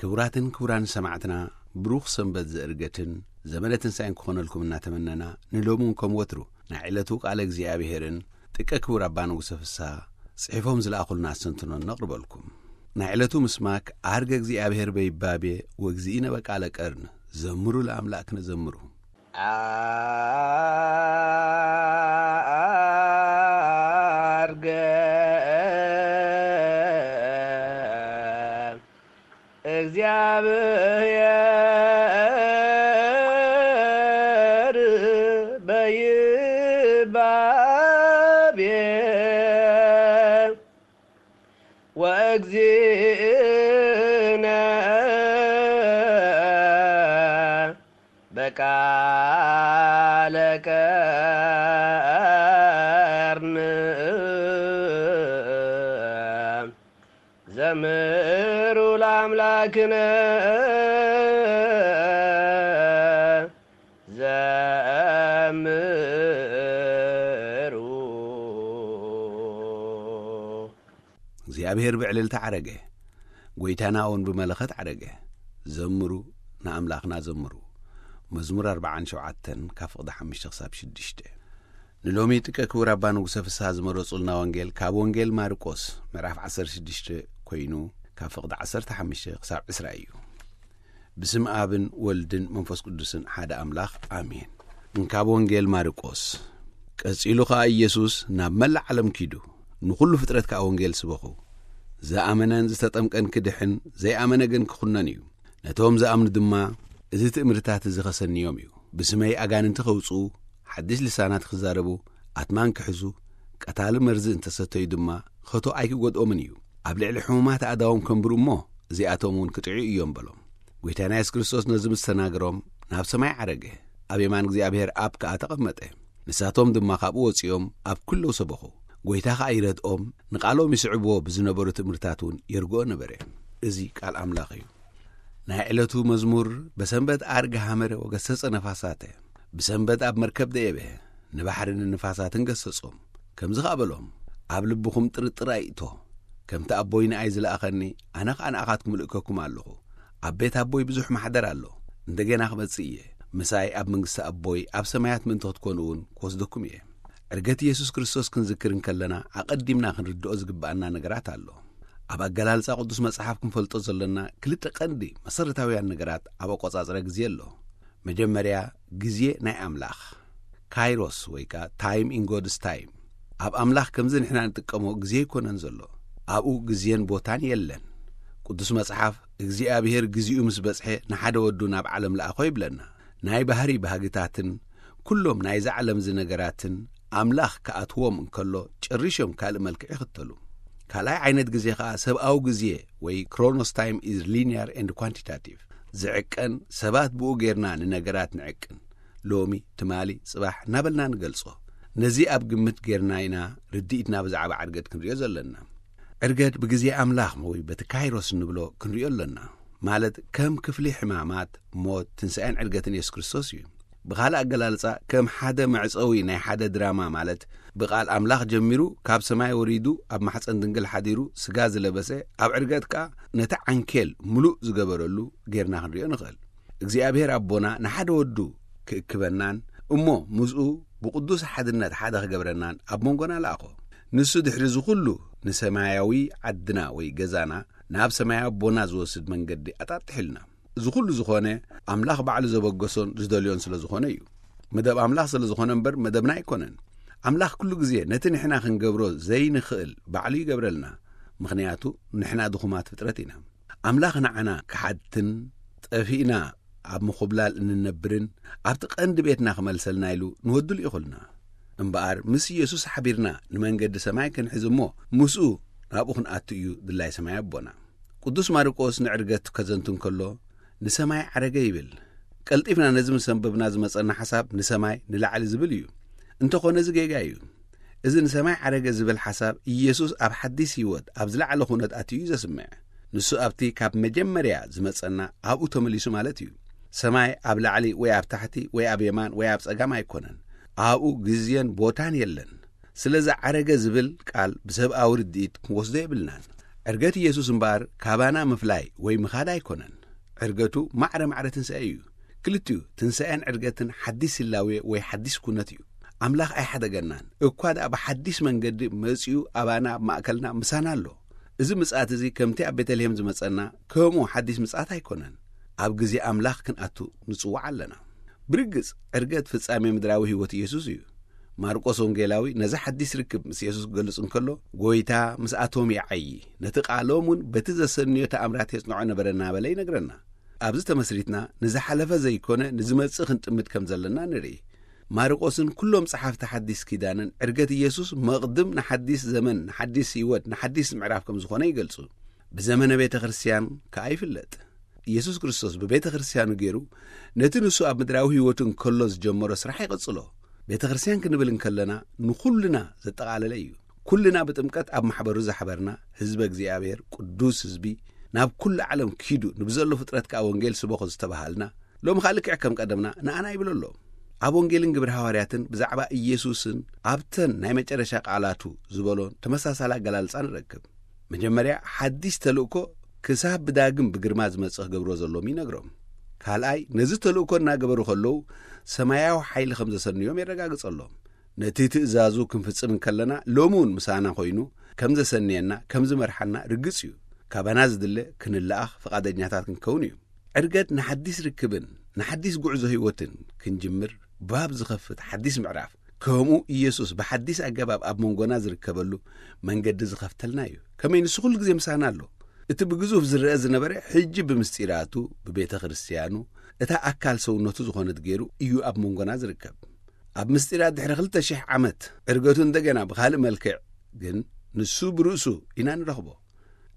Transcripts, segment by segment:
ክቡራትን ክቡራን ሰማዕትና፣ ብሩኽ ሰንበት ዘእርገትን ዘመነ ትንሳኤን ክኾነልኩም እናተመነና፣ ንሎሚ እውን ከም ወትሩ ናይ ዕለቱ ቃለ እግዚኣብሔርን ጥቀ ክቡር ኣባ ንጉሰ ፍስሓ ጽሒፎም ዝለኣኹልና ኣስተንትኖ ነቕርበልኩም። ናይ ዕለቱ ምስማክ፣ ዓርገ እግዚኣብሔር በይባቤ ወእግዚእነ በቃለ ቀርን፣ ዘምሩ ለኣምላክነ ዘምሩ። ዓርገ እግዚኣብሔር በይባቤ ወእግዚእነ በቃለ ቀርን ዘምሩ ለኣምላክነ ዘምሩ። እግዚኣብሔር ብዕልልታ ዓረገ፣ ጐይታና እውን ብመለኸት ዓረገ። ዘምሩ፣ ንኣምላኽና ዘምሩ። መዝሙር ኣርብዓን ሸውዓተን ካብ ፍቕዲ ሓሙሽተ ክሳብ ሽዱሽተ። ንሎሚ ጥቀ ክቡር ኣባ ንጉሰ ፍስሓ ዝመረጹልና ወንጌል ካብ ወንጌል ማርቆስ ምዕራፍ ዓሰርተ ሽዱሽተ ኮይኑ፣ ካብ ፍቕዲ ዓሰርተ ሓሙሽተ ክሳብ ዕስራ እዩ። ብስም ኣብን ወልድን መንፈስ ቅዱስን ሓደ ኣምላኽ፣ ኣሜን። እንካብ ወንጌል ማርቆስ። ቀጺሉ ኸኣ ኢየሱስ ናብ መላእ ዓለም ኪዱ፣ ንኹሉ ፍጥረት ከኣ ወንጌል ስበኹ። ዝኣመነን ዝተጠምቀን ክድሕን፣ ዘይኣመነ ግን ክኹነን እዩ። ነቶም ዝኣምኑ ድማ፣ እዚ ትእምርታት እዚ ኸሰንዮም እዩ። ብስመይ ኣጋንንቲ ኸውጽኡ፣ ሓድሽ ልሳናት ክዛረቡ፣ ኣትማን ክሕዙ፣ ቀታሊ መርዚ እንተሰተዩ ድማ፣ ኸቶ ኣይክጎድኦምን እዩ። ኣብ ልዕሊ ሕሙማት ኣእዳዎም ከንብሩ እሞ፣ እዚኣቶም እውን ክጥዕዩ እዮም በሎም። ጐይታና የሱስ ክርስቶስ ነዚ ምስ ተናገሮም፣ ናብ ሰማይ ዓረገ፣ ኣብ የማን እግዚኣብሔር ኣብ ከኣ ተቐመጠ። ንሳቶም ድማ ካብኡ ወጺኦም ኣብ ኩለው ሰበኹ። ጐይታ ኸኣ ይረድኦም፣ ንቓሎም ይስዕብዎ ብዝነበሩ ትእምርታት እውን የርግኦ ነበረ። እዚ ቃል ኣምላኽ እዩ። ናይ ዕለቱ መዝሙር፣ በሰንበት ዓርገ ሐመረ ወገሰጸ ነፋሳተ። ብሰንበት ኣብ መርከብ ደየበ፣ ንባሕርን ንንፋሳትን ገሰጾም። ከምዚ ኸኣ በሎም፣ ኣብ ልብኹም ጥርጥር ኣይእቶ። ከምቲ ኣቦይ ንኣይ ዝለኣኸኒ፣ ኣነ ኸኣ ንኣኻትኩም እልእከኩም ኣለኹ። ኣብ ቤት ኣቦይ ብዙሕ ማሕደር ኣሎ። እንደገና ክመጽእ እየ። ምሳይ ኣብ መንግስቲ ኣቦይ ኣብ ሰማያት ምእንቲ ክትኮኑ እውን ክወስደኩም እየ። ዕርገት ኢየሱስ ክርስቶስ ክንዝክር እንከለና፣ ኣቐዲምና ክንርድኦ ዝግብኣና ነገራት ኣሎ። ኣብ ኣገላልጻ ቅዱስ መጽሓፍ ክንፈልጦ ዘለና ክልተ ቀንዲ መሰረታውያን ነገራት ኣብ ኣቆጻጽራ ግዜ ኣሎ። መጀመርያ፣ ግዜ ናይ ኣምላኽ፣ ካይሮስ ወይ ከኣ ታይም ኢን ጎድስ ታይም። ኣብ ኣምላኽ ከምዚ ንሕና ንጥቀሞ ግዜ ኣይኮነን ዘሎ። ኣብኡ ግዜን ቦታን የለን። ቅዱስ መጽሓፍ፣ እግዚኣብሔር ግዜኡ ምስ በጽሐ ንሓደ ወዱ ናብ ዓለም ለኣኾ ይብለና። ናይ ባህሪ ባህግታትን ኩሎም ናይዛ ዓለም እዚ ነገራትን ኣምላኽ ክኣትዎም እንከሎ ጨሪሾም ካልእ መልክዕ ይኽተሉ። ካልኣይ ዓይነት ግዜ ኸኣ ሰብኣዊ ግዜ ወይ ክሮኖስ ታይም ኢዝ ሊኒየር ኤንድ ኳንቲታቲቭ። ዝዕቀን፣ ሰባት ብኡ ጌርና ንነገራት ንዕቅን። ሎሚ፣ ትማሊ፣ ጽባሕ እናበልና ንገልጾ። ነዚ ኣብ ግምት ጌርና ኢና ርድኢትና ብዛዕባ ዕርገት ክንርእዮ ዘለና። ዕርገት ብግዜ ኣምላኽ ወይ በቲ ካይሮስ እንብሎ ክንርእዮ ኣለና። ማለት ከም ክፍሊ ሕማማት፣ ሞት፣ ትንሳኤን ዕርገትን የሱስ ክርስቶስ እዩ። ብኻልእ ኣገላልጻ፣ ከም ሓደ መዕጸዊ ናይ ሓደ ድራማ፣ ማለት ብቓል ኣምላኽ ጀሚሩ፣ ካብ ሰማይ ወሪዱ፣ ኣብ ማሕጸን ድንግል ሓዲሩ፣ ስጋ ዝለበሰ፣ ኣብ ዕርገት ከኣ ነቲ ዓንኬል ምሉእ ዝገበረሉ ጌርና ክንርእዮ ንኽእል። እግዚኣብሔር ኣቦና ንሓደ ወዱ ክእክበናን እሞ ምስኡ ብቕዱስ ሓድነት ሓደ ክገብረናን ኣብ መንጎና ለኣኾ። ንሱ ድሕሪ እዚ ኹሉ ንሰማያዊ ዓድና ወይ ገዛና ናብ ሰማያዊ ኣቦና ዝወስድ መንገዲ ኣጣጥሕልና። እዚ ኹሉ ዝኾነ ኣምላኽ ባዕሉ ዘበገሶን ዝደልዮን ስለ ዝኾነ እዩ። መደብ ኣምላኽ ስለ ዝኾነ እምበር መደብና ኣይኮነን። ኣምላኽ ኩሉ ግዜ ነቲ ንሕና ክንገብሮ ዘይንኽእል ባዕሉ ይገብረልና። ምኽንያቱ ንሕና ድኹማት ፍጥረት ኢና። ኣምላኽ ንዓና ክሓትን ጠፊእና ኣብ ምኹብላል እንነብርን ኣብቲ ቀንዲ ቤትና ክመልሰልና ኢሉ ንወዱ ልኢኹልና። እምበኣር ምስ ኢየሱስ ሓቢርና ንመንገዲ ሰማይ ክንሕዝ እሞ ምስኡ ናብኡ ክንኣቱ እዩ ድላይ ሰማይ ኣቦና። ቅዱስ ማርቆስ ንዕርገት ከዘንቱ እንከሎ ንሰማይ ዓረገ ይብል። ቀልጢፍና ነዚ ምስ ኣንበብና ዝመጸና ሓሳብ ንሰማይ ንላዕሊ ዝብል እዩ። እንተኾነ እዚ ጌጋ እዩ። እዚ ንሰማይ ዓረገ ዝብል ሓሳብ ኢየሱስ ኣብ ሓዲስ ህይወት ኣብ ዝለዓለ ኩነት ኣትዩ እዩ ዘስምዕ። ንሱ ኣብቲ ካብ መጀመርያ ዝመጸና ኣብኡ ተመሊሱ ማለት እዩ። ሰማይ ኣብ ላዕሊ ወይ ኣብ ታሕቲ ወይ ኣብ የማን ወይ ኣብ ጸጋም ኣይኮነን። ኣብኡ ግዜን ቦታን የለን። ስለዚ ዓረገ ዝብል ቃል ብሰብኣዊ ርድኢት ክንወስዶ የብልናን። ዕርገት ኢየሱስ እምበኣር ካባና ምፍላይ ወይ ምኻድ ኣይኮነን። ዕርገቱ ማዕረ ማዕረ ትንሳኤ እዩ። ክልቲኡ ትንሳኤን ዕርገትን ሓዲስ ህላዌ ወይ ሓዲስ ኩነት እዩ። ኣምላኽ ኣይሓደገናን። እኳ ደኣ ብሓዲስ መንገዲ መጺኡ ኣባና ኣብ ማእከልና ምሳና ኣሎ። እዚ ምጽኣት እዚ ከምቲ ኣብ ቤተልሔም ዝመጸና ከምኡ ሓዲስ ምጽኣት ኣይኮነን። ኣብ ግዜ ኣምላኽ ክንኣቱ ንጽዋዕ ኣለና። ብርግጽ ዕርገት ፍጻሜ ምድራዊ ህይወት ኢየሱስ እዩ። ማርቆስ ወንጌላዊ ነዚ ሓዲስ ርክብ ምስ የሱስ ክገልጽ እንከሎ፣ ጎይታ ምስኣቶም ይዓዪ፣ ነቲ ቃሎም እውን በቲ ዘሰንዮ ተኣምራት የጽንዖ ነበረ እናበለ ይነግረና። ኣብዚ ተመስሪትና ንዝሓለፈ ዘይኮነ ንዝመጽእ ክንጥምት ከም ዘለና ንርኢ። ማርቆስን ኩሎም ጸሓፍቲ ሓዲስ ኪዳንን ዕርገት ኢየሱስ መቕድም ንሓዲስ ዘመን፣ ንሓዲስ ህይወት፣ ንሓዲስ ምዕራፍ ከም ዝኾነ ይገልጹ። ብዘመነ ቤተ ክርስቲያን ከኣ ይፍለጥ። ኢየሱስ ክርስቶስ ብቤተ ክርስቲያኑ ገይሩ ነቲ ንሱ ኣብ ምድራዊ ህይወቱ እንከሎ ዝጀመሮ ስራሕ ይቐጽሎ። ቤተ ክርስቲያን ክንብል እንከለና ንኹልና ዘጠቓለለ እዩ። ኩልና ብጥምቀት ኣብ ማሕበሩ ዝሓበርና ህዝበ እግዚኣብሔር ቅዱስ ህዝቢ፣ ናብ ኩሉ ዓለም ኪዱ ንብዘሎ ፍጥረት ከኣ ወንጌል ስበኹ ዝተባሃልና፣ ሎሚ ከኣ ልክዕ ከም ቀደምና ንኣና ይብል ኣሎ። ኣብ ወንጌልን ግብሪ ሃዋርያትን ብዛዕባ ኢየሱስን ኣብተን ናይ መጨረሻ ቃላቱ ዝበሎን ተመሳሳሊ ኣገላልጻ ንረክብ። መጀመርያ ሓዲስ ተልእኮ ክሳብ ብዳግም ብግርማ ዝመጽእ ክገብርዎ ዘሎም ይነግሮም። ካልኣይ ነዚ ተልእኮ እናገበሩ ከለዉ ሰማያዊ ሓይሊ ከም ዘሰንዮም የረጋግጸሎም። ነቲ ትእዛዙ ክንፍጽም እንከለና ሎሚ እውን ምሳና ኮይኑ ከም ዘሰንየና ከም ዝመርሓና ርግጽ እዩ። ካባና ዝድለ ክንለኣኽ ፍቓደኛታት ክንከውን እዩ። ዕርገት ንሓዲስ ርክብን ንሓዲስ ጉዕዞ ህይወትን ክንጅምር ባብ ዝኸፍት ሓዲስ ምዕራፍ፣ ከምኡ ኢየሱስ ብሓዲስ ኣገባብ ኣብ መንጎና ዝርከበሉ መንገዲ ዝኸፍተልና እዩ። ከመይ ንሱ ኩሉ ግዜ ምሳና ኣሎ። እቲ ብግዙፍ ዝረአ ዝነበረ ሕጂ ብምስጢራቱ ብቤተ ክርስቲያኑ እታ ኣካል ሰውነቱ ዝኾነት ገይሩ እዩ ኣብ መንጎና ዝርከብ። ኣብ ምስጢራት ድሕሪ ክልተ ሽሕ ዓመት ዕርገቱ እንደገና ብኻልእ መልክዕ ግን ንሱ ብርእሱ ኢና ንረኽቦ።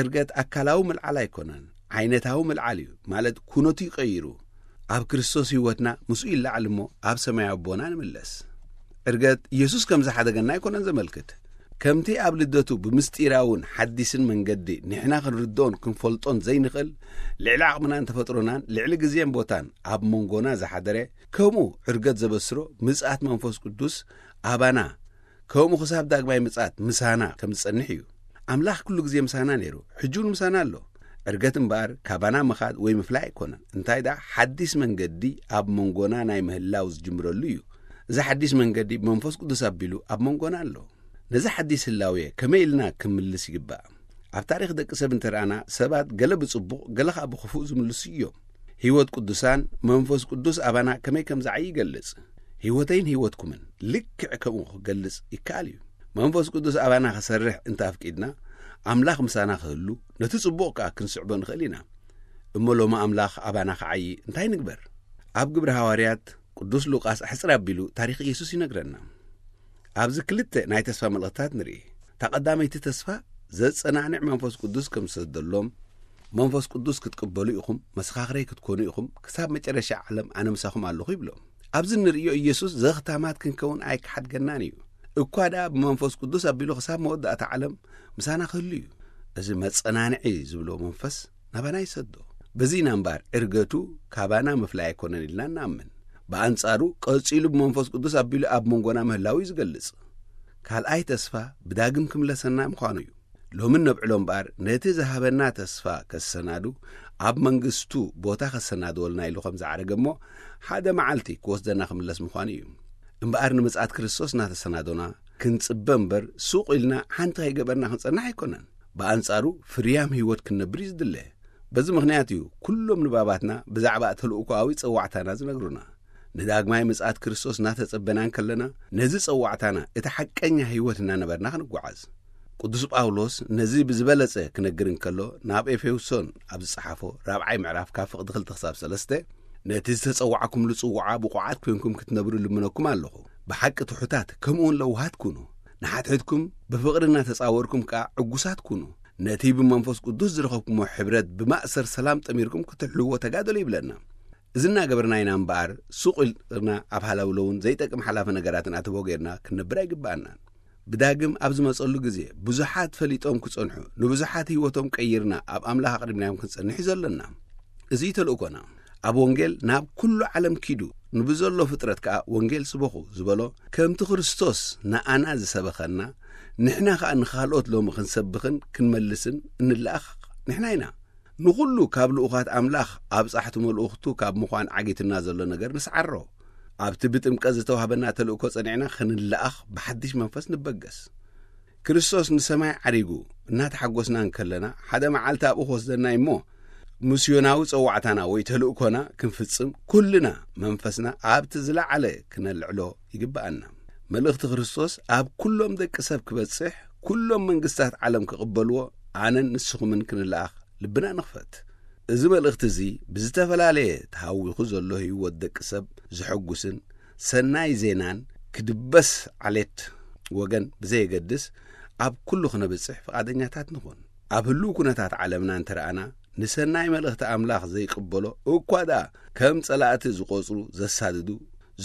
ዕርገት ኣካላዊ ምልዓል ኣይኮነን፣ ዓይነታዊ ምልዓል እዩ። ማለት ኩነቱ ይቀይሩ። ኣብ ክርስቶስ ህይወትና ምስኡ ይለዓል እሞ ኣብ ሰማያዊ ኣቦና ንምለስ። ዕርገት ኢየሱስ ከም ዝሓደገና ኣይኮነን ዘመልክት። ከምቲ ኣብ ልደቱ ብምስጢራውን ሓዲስን መንገዲ ንሕና ክንርድኦን ክንፈልጦን ዘይንኽእል፣ ልዕሊ ዓቕምናን ተፈጥሮናን ልዕሊ ግዜን ቦታን ኣብ መንጎና ዝሓደረ፣ ከምኡ ዕርገት ዘበስሮ ምጽኣት መንፈስ ቅዱስ ኣባና ከምኡ ክሳብ ዳግማይ ምጽኣት ምሳና ከም ዝጸንሕ እዩ። ኣምላኽ ኩሉ ግዜ ምሳና ነይሩ፣ ሕጂ እውን ምሳና ኣሎ። ዕርገት እምበኣር ካባና ምኻድ ወይ ምፍላይ ኣይኮነን። እንታይ ደኣ ሓዲስ መንገዲ ኣብ መንጎና ናይ ምህላው ዝጅምረሉ እዩ። እዚ ሓዲስ መንገዲ ብመንፈስ ቅዱስ ኣቢሉ ኣብ መንጎና ኣሎ። ነዚ ሓዲስ ህላዌ ከመይ ኢልና ክምልስ ይግባእ? ኣብ ታሪኽ ደቂ ሰብ እንተረኣና ሰባት ገለ ብጽቡቕ ገለ ኸኣ ብኽፉእ ዝምልሱ እዮም። ህይወት ቅዱሳን መንፈስ ቅዱስ ኣባና ከመይ ከም ዝዓይ ይገልጽ። ህይወተይን ህይወትኩምን ልክዕ ከምኡ ክገልጽ ይከኣል እዩ። መንፈስ ቅዱስ ኣባና ክሰርሕ እንተ ኣፍቂድና ኣምላኽ ምሳና ክህሉ ነቲ ጽቡቕ ከኣ ክንስዕቦ ንኽእል ኢና። እሞ ሎሚ ኣምላኽ ኣባና ክዓዪ እንታይ ንግበር? ኣብ ግብሪ ሃዋርያት ቅዱስ ሉቃስ ኣሕጽር ኣቢሉ ታሪኽ ኢየሱስ ይነግረና። ኣብዚ ክልተ ናይ ተስፋ መልእኽትታት ንርኢ። እታ ቀዳመይቲ ተስፋ ዘጸናንዕ መንፈስ ቅዱስ ከም ዝሰደሎም፣ መንፈስ ቅዱስ ክትቅበሉ ኢኹም መሰኻኽረይ ክትኮኑ ኢኹም ክሳብ መጨረሻ ዓለም ኣነ ምሳኹም ኣለኹ ይብሎም። ኣብዚ ንርእዮ ኢየሱስ ዘኽታማት ክንከውን ኣይክሓድገናን እዩ። እኳ ደኣ ብመንፈስ ቅዱስ ኣቢሉ ክሳብ መወዳእታ ዓለም ምሳና ክህሉ እዩ። እዚ መጸናንዒ ዝብሎ መንፈስ ናባና ይሰዶ። በዚ ኢና እምበኣር ዕርገቱ ካባና ምፍላይ ኣይኮነን ኢልና እንኣምን። ብኣንጻሩ ቀጺሉ ብመንፈስ ቅዱስ ኣቢሉ ኣብ መንጎና ምህላው እዩ ዝገልጽ። ካልኣይ ተስፋ ብዳግም ክምለሰና ምዃኑ እዩ። ሎሚ ነብዕሎ እምበኣር ነቲ ዝሃበና ተስፋ ከሰናዱ ኣብ መንግስቱ ቦታ ከሰናድወልና ኢሉ ከም ዝዓረገ እሞ ሓደ መዓልቲ ክወስደና ክምለስ ምዃኑ እዩ። እምበኣር ንምጽኣት ክርስቶስ እናተሰናዶና ክንጽበ እምበር ሱቕ ኢልና ሓንቲ ከይገበርና ክንጸንሕ ኣይኮነን። ብኣንጻሩ ፍርያም ህይወት ክንነብር እዩ ዝድለ። በዚ ምኽንያት እዩ ኩሎም ንባባትና ብዛዕባ ተልእኮኣዊ ጸዋዕታና ዝነግሩና። ንዳግማይ ምጽኣት ክርስቶስ እናተጸበና እንከለና ነዚ ጸዋዕታና እቲ ሓቀኛ ህይወት እናነበርና ክንጓዓዝ። ቅዱስ ጳውሎስ ነዚ ብዝበለጸ ክነግር እንከሎ ናብ ኤፌሶን ኣብ ዝጸሓፎ ራብዓይ ምዕራፍ ካብ ፍቕዲ ክልተ ክሳብ ሰለስተ ነቲ ዝተጸዋዕኩምሉ ጽውዓ ብቑዓት ኮይንኩም ክትነብሩ ልምነኩም ኣለኹ። ብሓቂ ትሑታት ከምኡውን ለውሃት ኩኑ። ንሓድሕድኩም ብፍቕሪ እናተጻወርኩም ከኣ ዕጉሳት ኩኑ። ነቲ ብመንፈስ ቅዱስ ዝረኸብኩሞ ሕብረት ብማእሰር ሰላም ጠሚርኩም ክትሕልዎ ተጋደሉ ይብለና። እዚ እናገበርና ኢና እምበኣር ሱቕ ኢልና ኣብ ሃለውለውን ዘይጠቅም ሓላፊ ነገራትን ኣተቦ ጌርና ክንነብር ኣይግብኣናን። ብዳግም ኣብ ዝመጸሉ ግዜ ብዙሓት ፈሊጦም ክጸንሑ፣ ንብዙሓት ህይወቶም ቀይርና ኣብ ኣምላኽ ኣቕሪብናዮም ክንጸንሕ እዩ ዘሎና። እዚ እዩ ተልእኮና። ኣብ ወንጌል ናብ ኩሉ ዓለም ኪዱ ንብዘሎ ፍጥረት ከኣ ወንጌል ስበኹ ዝበሎ ከምቲ ክርስቶስ ንኣና ዝሰበኸና ንሕና ኸኣ ንኻልኦት ሎሚ ክንሰብኽን ክንመልስን እንለኣኽ ንሕና ኢና። ንኹሉ ካብ ልኡኻት ኣምላኽ ኣብጻሕቲ መልእኽቱ ካብ ምዃን ዓጊትና ዘሎ ነገር ንስዓሮ። ኣብቲ ብጥምቀት ዝተዋህበና ተልእኮ ጸኒዕና ክንለኣኽ ብሓድሽ መንፈስ ንበገስ። ክርስቶስ ንሰማይ ዓሪጉ እናተሓጎስና እንከለና፣ ሓደ መዓልቲ ኣብኡ ክወስደና እሞ፣ ምስዮናዊ ጸዋዕታና ወይ ተልእኮና ክንፍጽም ኩልና መንፈስና ኣብቲ ዝለዓለ ክነልዕሎ ይግብኣና። መልእኽቲ ክርስቶስ ኣብ ኩሎም ደቂ ሰብ ክበጽሕ፣ ኩሎም መንግስታት ዓለም ክቕበልዎ፣ ኣነን ንስኹምን ክንለኣኽ ልብና ንኽፈት። እዚ መልእኽቲ እዚ ብዝተፈላለየ ተሃዊኹ ዘሎ ህይወት ደቂ ሰብ ዘሐጉስን ሰናይ ዜናን ክድበስ ዓሌት ወገን ብዘየገድስ ኣብ ኩሉ ክነብጽሕ ፍቓደኛታት ንኹን። ኣብ ህሉው ኩነታት ዓለምና እንተረኣና፣ ንሰናይ መልእኽቲ ኣምላኽ ዘይቅበሎ እኳ ደኣ ከም ጸላእቲ ዝቖጽሩ፣ ዘሳድዱ፣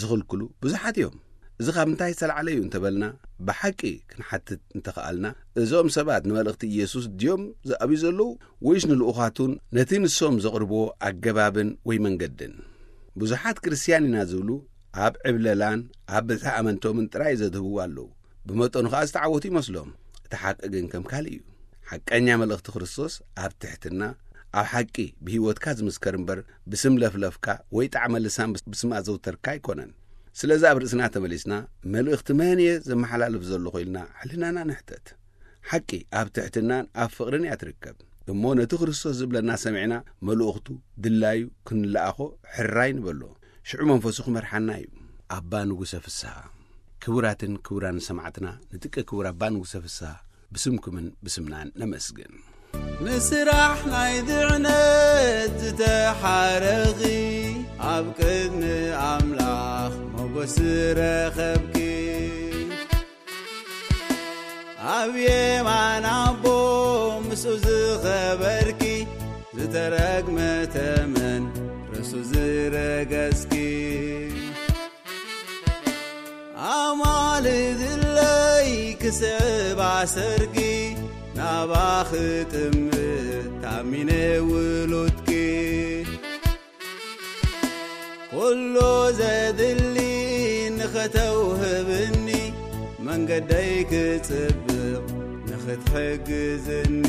ዝኽልክሉ ብዙሓት እዮም። እዚ ካብ ምንታይ ዝተላዕለ እዩ እንተበልና፣ ብሓቂ ክንሓትት እንተኸኣልና፣ እዞም ሰባት ንመልእኽቲ ኢየሱስ ድዮም ዝኣብዩ ዘለዉ፣ ወይስ ንልኡኻቱን ነቲ ንሶም ዘቕርብዎ ኣገባብን ወይ መንገድን? ብዙሓት ክርስትያን ኢና ዝብሉ ኣብ ዕብለላን ኣብ ብዝሒ ኣመንቶምን ጥራይ ዘድህቡ ኣለዉ። ብመጠኑ ኸኣ ዝተዓወቱ ይመስሎም። እቲ ሓቂ ግን ከም ካልእ እዩ። ሓቀኛ መልእኽቲ ክርስቶስ ኣብ ትሕትና፣ ኣብ ሓቂ ብህይወትካ ዝምስከር እምበር፣ ብስም ለፍለፍካ ወይ ጣዕመ ልሳን ብስ-፣ ብስም ኣዘውተርካ ኣይኮነን። ስለዚ ኣብ ርእስና ተመሊስና፣ መልእኽቲ መን እየ ዘመሓላልፍ ዘለኹ ኢልና ሕልናና ንሕተት። ሓቂ ኣብ ትሕትናን ኣብ ፍቕርን እያ ትርከብ። እሞ ነቲ ክርስቶስ ዝብለና ሰሚዕና፣ መልእኽቱ ድላዩ ክንለኣኾ ሕራይ ንበሎ። ሽዑ መንፈሱ ክመርሓና እዩ። ኣባ ንጉሰ ፍስሃ። ክቡራትን ክቡራን ሰማዕትና፣ ንጥቀ ክቡር ኣባ ንጉሰ ፍስሃ ብስምኩምን ብስምናን ነመስግን። ንስራሕ ናይ ድዕነት ዝተሓረኺ፣ ኣብ ቅድሚ ኣምላኽ ሞገስ ረኸብኪ። ኣብ የማን ኣቦ ምስኡ ዝኸበርኪ፣ ዝተረግመ ተመን ርእሱ ዝረገጽኪ። ኣማልድለይ ክስዕባ ሰርኪ፣ ናባኺ ጥምት ታሚነ ውሉድኪ። ኩሉ ዘድሊ ንኸተውህብኒ፣ መንገደይ ክጽብቕ ንኽትሕግዝኒ።